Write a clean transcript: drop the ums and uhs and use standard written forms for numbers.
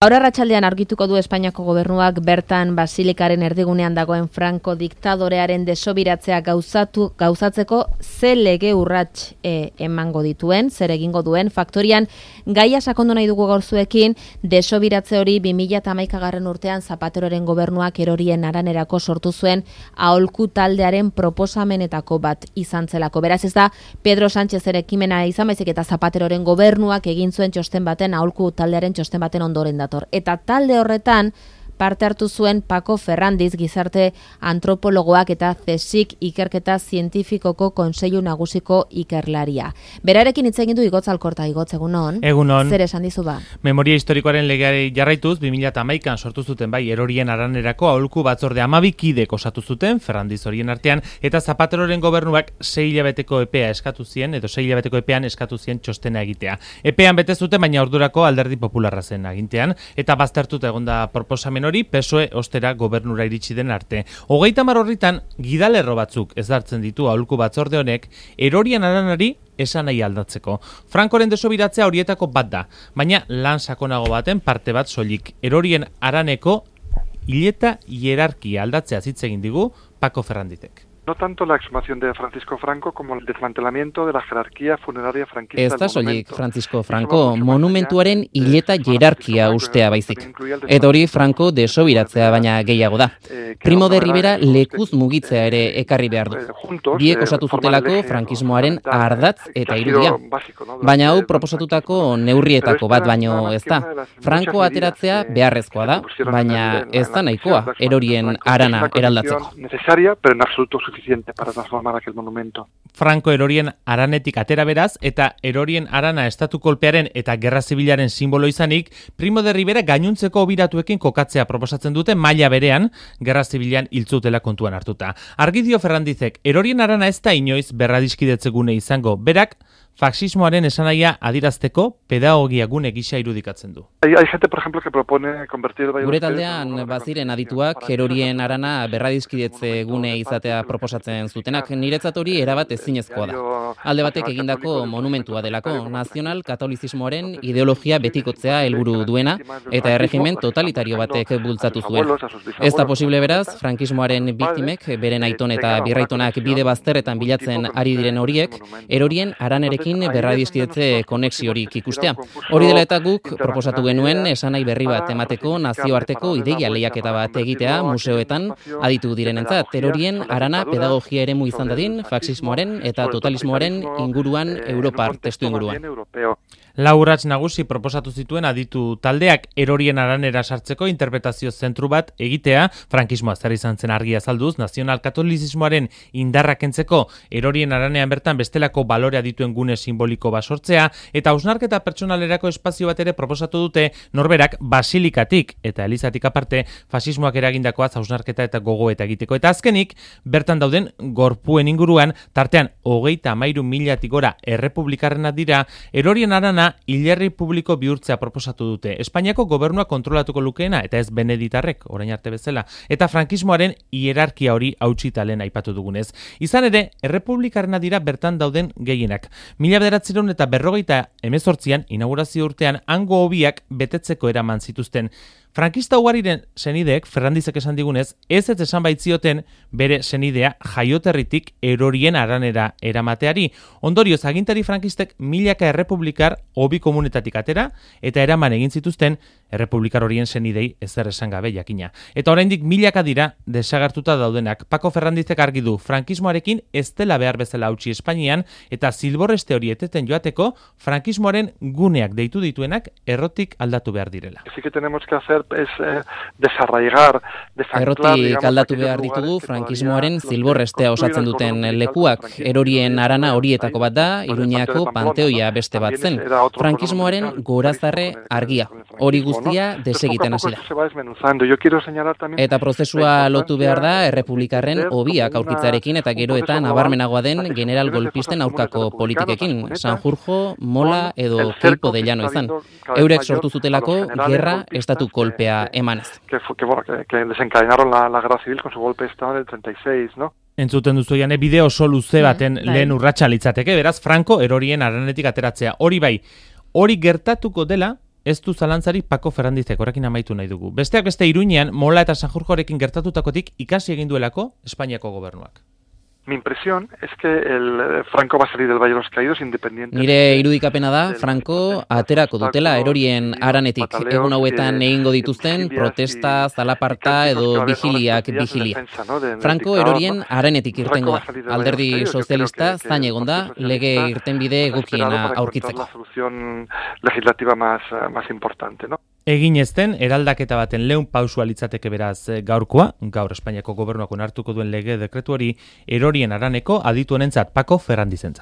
Gaur arratsaldean argituko du Espainiako gobernuak bertan Basilikaren erdigunean dagoen Franco diktadorearen desobiratzea gauzatzeko ze lege urrats emango dituen, zer egingo duen. Faktorian gaia sakondu nahi dugu gaur zuekin, desobiratze hori 2011 urtean Zapateroren gobernuak Erorien Aranerako sortu zuen aholku taldearen proposamenetako bat izan zelako. Beraz ez da Pedro Sánchezen ekimena izan, baizik eta Zapateroren gobernuak egin zuen txosten baten, aholku taldearen txosten baten ondoren da. Eta talde horretan parte hartu zuen Paco Ferrandiz, gizarte antropologoak eta CSIC ikerketa zientifikoko Kontseilu Nagusiko ikerlaria. Berarekin hitz egin du Igotz Alkorta. Igotz, egunon. Egunon. Zer esan dizu ba? Memoria historikoaren legeari jarraituz 2011an sortu zuten bai Erorien Aranerako aholku batzorde 12 kidek osatu zuten Ferrandiz horien artean, eta Zapateroren gobernuak 6 hilabeteko epea eskatu zien, edo 6 hilabeteko epean eskatu zien txostena egitea. Epean bete zuten, baina ordurako Alderdi Popularra zen agintean, eta baztertuta egonda proposamen hori PSOE ostera gobernura iritsi den arte. 30 horritan gidalerro batzuk ezartzen ditu aholku batzorde honek Erorien Aranari esan nahi aldatzeko. Frankoren desobiratzea horietako bat da, baina lan sakonago baten parte bat soilik. Erorien Araneko hileta hierarkia aldatzea hitz egin digu Paco Ferrandizek. No tanto la exhumación de Francisco Franco como el desmantelamiento de la jerarquía funeraria franquista. Ez da soilik Francisco Franco monumentuaren hileta hierarkia ustea baizik. Eta hori Franco desobiratzea baina gehiago da. Primo de Rivera lekuz mugitzea ere ekarri behar du. Biek osatu zutelako frankismoaren ardatz eta irudia. Baina hau proposatutako neurrietako bat baino ez da. Franco ateratzea beharrezkoa da, baina ez da nahikoa Erorien Arana eraldatzeko. Necesaria, pero en absoluto suficiente para transformar aquel monumento. Franco Erorien Aranetik atera beraz, eta Erorien Arana estatu kolpearen eta gerra zibilaren simbolo izanik, Primo de Rivera gainuntzeko obiratuekin kokatzea proposatzen dute maila berean, gerra zibilan hiltzutela kontuan hartuta. Argi dio Ferrandizek, Erorien Arana ez da inoiz berradiskidetzegune izango, berak faxismoaren esanahia adirazteko pedagogia gune gisa irudikatzen du. Hay gente, por ejemplo, que propone convertir... Gure taldean baziren adituak Erorien Arana berradiskidetze gune izatea proposatzen zutenak. Niretzat hori erabat ezinezkoa da. Alde batek egindako monumentua delako, nazional katolizismoaren ideologia betikotzea helburu duena eta erregimen totalitario batek bultzatu zuen. Ez da posible beraz, frankismoaren biktimek, beren aiton eta birraitonak bide bazterretan bilatzen ari diren horiek, Erorien Aranerekin berradiskidetze konexiorik ikustea. Hori dela eta guk proposatu genuen esanai berri bat emateko nazioarteko ideia lehiaketa bat egitea museoetan aditu direnentzat. Erorien Arana pedagogia eremu izan dadin faxismoaren eta totalismoaren inguruan Europar testu inguruan. Lau urrats nagusi proposatu zituen aditu taldeak Erorien Aranera sartzeko interpretazio zentru bat egitea, frankismoa zer izan zen argia azalduz, nazional katolizismoaren indarra kentzeko Erorien Aranean bertan bestelako balorea dituen gune simboliko basortzea, eta hausnarketa pertsonalerako espazio bat ere proposatu dute norberak basilikatik eta elizatik aparte fasismoak eragindakoaz hausnarketa eta gogoeta egiteko. Eta azkenik, bertan dauden gorpuen inguruan, tartean 33.000 gora errepublikarrenak dira, Erorien Arana hilerri publiko bihurtzea proposatu dute. Espainiako gobernua kontrolatuko lukeena, eta ez Beneditarrek, orain arte bezala, eta frankismoaren hierarkia hori hautsitalen aipatu dugunez. Izan ere, errepublikarrena dira bertan dauden gehienak. 1948an, inaugurazio urtean, hango hobiak betetzeko eraman zituzten. Frankista ugariren senideek, Ferrandizek esan digunez, ez esan baitzioten bere senidea jaioterritik Erorien Aranera eramateari. Ondorioz, agintari frankistek milaka errepublikar hobi komunetatik atera, eta eraman egin zituzten errepublikar horien senidei ezer esan gabe jakina. Eta oraindik milaka dira desagertuta daudenak. Paco Ferrandizek argi du, frankismoarekin ez dela behar bezala hautsi Espainian, eta zilborreste hori eteten joateko, frankismoaren guneak deitu dituenak errotik aldatu behar direla. Sí que tenemos que hacer es desarraigar, errotik aldatu behar ditugu frankismoaren zilborrestea osatzen duten lekuak. Erorien Arana horietako bat da, Iruñako Panteoia beste bat zen. Frankismoaren gorazarre argia. Hori guztia desegiten hasi da. Eta prozesua lotu behar da errepublikarren hobiak aurkitzarekin eta gero eta nabarmenagoa den general golpisten aurkako politikekin. Sanjurjo, Mola edo Queipo de Llano izan. Eurek sortu zutelako gerra estatu kolpea emanez. Que desencadenaron la guerra civil con su golpe de estado en el 36, ¿no? Entzuten duzu jane bideo oso luze baten lehen urratsa litzateke, beraz Franco Erorien Aranetik ateratzea. Hori bai, hori gertatuko dela ez du zalantzari Paco Ferrandizek, horrekin amaitu nahi dugu. Besteak beste Iruñean, Mola eta Sanjurjorekin gertatutakotik ikasi egin duelako Espainiako gobernuak. Mi impresión es que el Franco va a salir del Valle de los Caídos independiente. Nire irudikapena da, Franco aterako dutela erorien haranetik. Egun hauetan egingo dituzten protesta, zalaparta edo vigilia. Franco erorien haranetik irtengo da. Alderdi sozialista zain egon da, lege irtenbide egokiena aurkitzeko. La solución legislativa más importante, ¿no? Egin ezten, eraldaketa baten lehun pausua litzateke beraz gaurkoa, gaur Espainiako gobernuak onartuko duen lege dekretu hori erorien haraneko aditu honentzat Paco Ferrandizentzat.